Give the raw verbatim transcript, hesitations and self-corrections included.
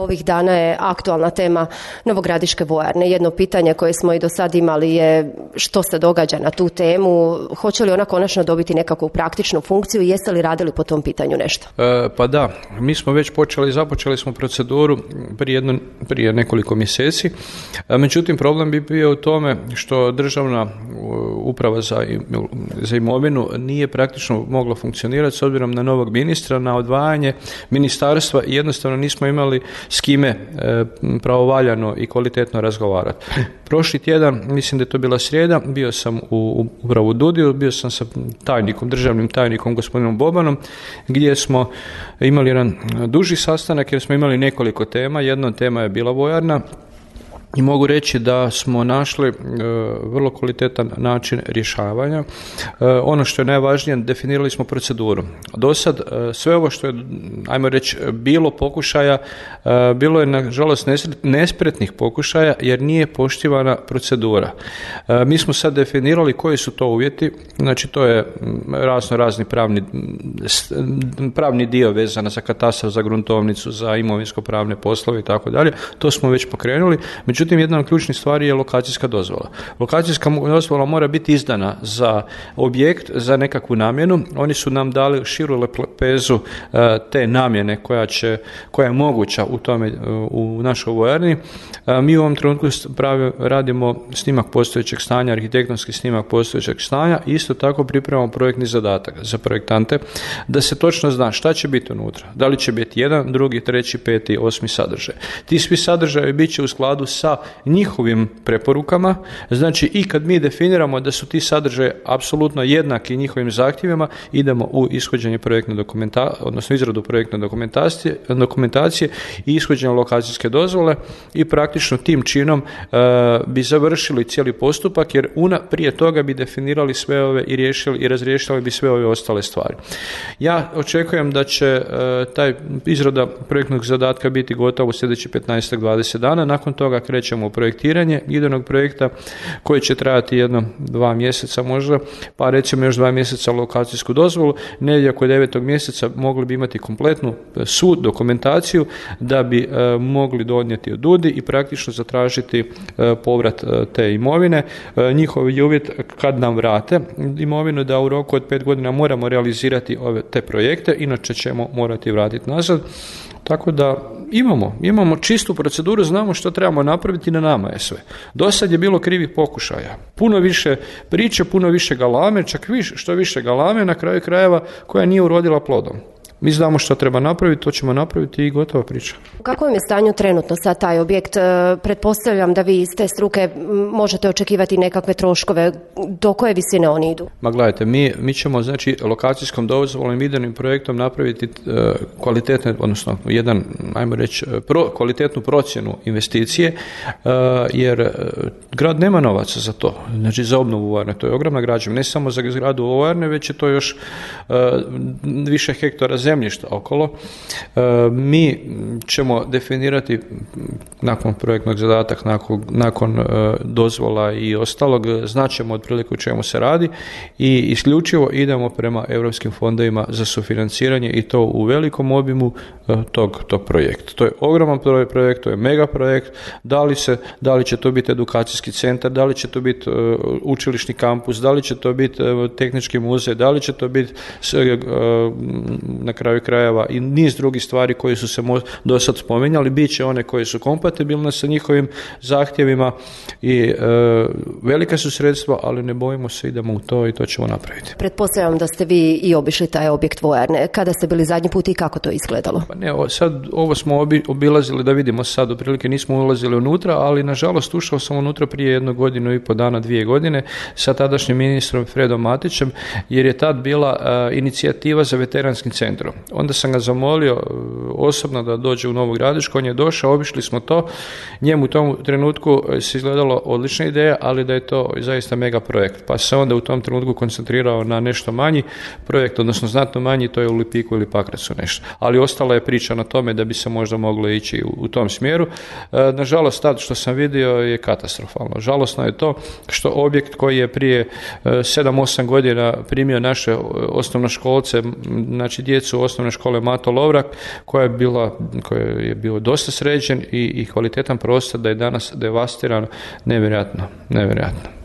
Ovih dana je aktualna tema Novogradiške vojarne. Jedno pitanje koje smo i do sad imali je što se događa na tu temu, hoće li ona konačno dobiti nekakvu praktičnu funkciju i jeste li radili po tom pitanju nešto? E, pa da, mi smo već počeli, započeli smo proceduru prije, jedno, prije nekoliko mjeseci, e, međutim problem bi bio u tome što državna uprava za, za imovinu nije praktično mogla funkcionirati s obzirom na novog ministra, na odvajanje ministarstva i jednostavno nismo imali s kime e, pravovaljano i kvalitetno razgovarati. Prošli tjedan, mislim da je to bila srijeda, bio sam u upravo u DUDI-u, bio sam sa tajnikom, državnim tajnikom gospodinom Bobanom, gdje smo imali jedan duži sastanak jer smo imali nekoliko tema. Jedna od tema je bila vojarna. I mogu reći da smo našli e, vrlo kvalitetan način rješavanja. E, ono što je najvažnije, definirali smo proceduru. Do sad e, sve ovo što je, ajmo reći, bilo pokušaja, e, bilo je nažalost nespretnih pokušaja jer nije poštivana procedura. E, mi smo sad definirali koji su to uvjeti, znači to je razno razni pravni, pravni dio vezana za katastar, za gruntovnicu, za imovinsko-pravne poslove i tako dalje. To smo već pokrenuli. Međutim, Međutim, jedna od ključnih stvari je lokacijska dozvola. Lokacijska dozvola mora biti izdana za objekt, za nekakvu namjenu. Oni su nam dali širu lepezu te namjene koja, će, koja je moguća u tome, u našoj vojarni. Mi u ovom trenutku pravi, radimo snimak postojećeg stanja, arhitektonski snimak postojećeg stanja i isto tako pripremamo projektni zadatak za projektante da se točno zna šta će biti unutra. Da li će biti jedan, drugi, treći, peti, osmi sadržaj. Ti svi sadržaji bit će u skladu sa njihovim preporukama, znači i kad mi definiramo da su ti sadržaji apsolutno jednaki njihovim zahtjevima, idemo u ishođenje projektne dokumentacije, odnosno izradu projektne dokumentacije, dokumentacije i ishođenje lokacijske dozvole i praktično tim činom e, bi završili cijeli postupak jer una prije toga bi definirali sve ove i riješili i razriješili bi sve ove ostale stvari. Ja očekujem da će e, taj izrada projektnog zadatka biti gotova u sljedeći petnaest do dvadeset dana, nakon toga krećemo u projektiranje idejnog projekta koji će trajati jedno dva mjeseca možda, pa recimo još dva mjeseca lokacijsku dozvolu, negdje oko devetog mjeseca mogli bi imati kompletnu sud, dokumentaciju da bi e, mogli donijeti od DUDI i praktično zatražiti e, povrat e, te imovine. E, njihov je uvjet kad nam vrate imovinu da u roku od pet godina moramo realizirati ove te projekte, inače ćemo morati vratiti nazad. Tako da imamo, imamo čistu proceduru, znamo što trebamo napraviti, na nama je sve. Do sad je bilo krivih pokušaja. Puno više priče, puno više galame, čak više, što više galame na kraju krajeva koja nije urodila plodom. Mi znamo što treba napraviti, to ćemo napraviti i gotova priča. U kakvom je stanju trenutno sad taj objekt? Pretpostavljam da vi iz te struke možete očekivati nekakve troškove. Do koje visine oni idu? Ma gledajte, mi, mi ćemo znači lokacijskom dozvolom i idejnim projektom napraviti uh, kvalitetne, odnosno jedan, ajmo reći, pro, kvalitetnu procjenu investicije, uh, jer uh, grad nema novaca za to, znači za obnovu vojarne. To je ogromna građevina, ne samo za zgradu vojarne, već je to još uh, više hektara zemlje zemljišta okolo. E, mi ćemo definirati nakon projektnog zadatka, nakon, nakon e, dozvola i ostalog, znaćemo otprilike o čemu se radi i isključivo idemo prema europskim fondovima za sufinanciranje i to u velikom obimu e, tog, tog projekta. To je ogroman projekt, to je mega projekt. Da li, se, da li će to biti edukacijski centar, da li će to biti e, učilišni kampus, da li će to biti e, tehnički muzej, da li će to biti e, na kraju krajeva i niz drugih stvari koji su se mo- do sad spominjali, bit će one koje su kompatibilne sa njihovim zahtjevima i e, velika su sredstva, ali ne bojimo se, idemo u to i to ćemo napraviti. Pretpostavljam da ste vi i obišli taj objekt vojarne. Kada ste bili zadnji put i kako to izgledalo? Pa ne, ovo, sad ovo smo obi, obilazili da vidimo sad, otprilike nismo ulazili unutra, ali nažalost ušao sam unutra prije jednu godinu i po dana, dvije godine sa tadašnjim ministrom Fredom Matićem, jer je tad bila uh, inicijativa za veteranskim centrom. Onda sam ga zamolio uh, osobno da dođe u Novu Gradišku, on je došao, obišli smo to, njemu u tom trenutku se izgledalo odlična ideja, ali da je to zaista mega projekt, pa se onda u tom trenutku koncentrirao na nešto manji projekt, odnosno znatno manji, to je u Lipiku ili Pakracu nešto, ali ostala je priča na tome da bi se možda moglo ići u, u tom smjeru. E, nažalost, tad što sam vidio je katastrofalno. Žalosno je to što objekt koji je prije sedam osam godina primio naše osnovnoškolce, znači djecu su osnovne škole Mato Lovrak, koja je bila, koja je bio dosta sređen i, i kvalitetan prostor, da je danas devastiran, nevjerojatno, nevjerojatno.